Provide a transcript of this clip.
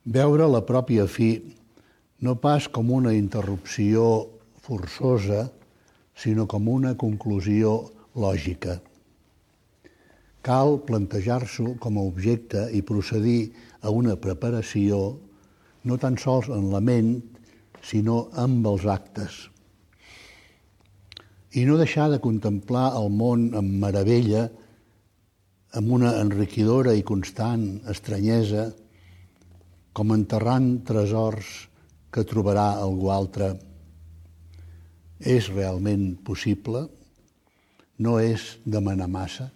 Veure la pròpia fi no pas com una interrupció forçosa, sinó com una conclusió lògica. Cal plantejar-s'ho com a objecte i procedir a una preparació no tan sols en la ment, sinó amb els actes. I no deixar de contemplar el món amb meravella, amb una enriquidora i constant estranyesa, com enterrant tresors que trobarà algú altre. És realment possible? No és demanar massa?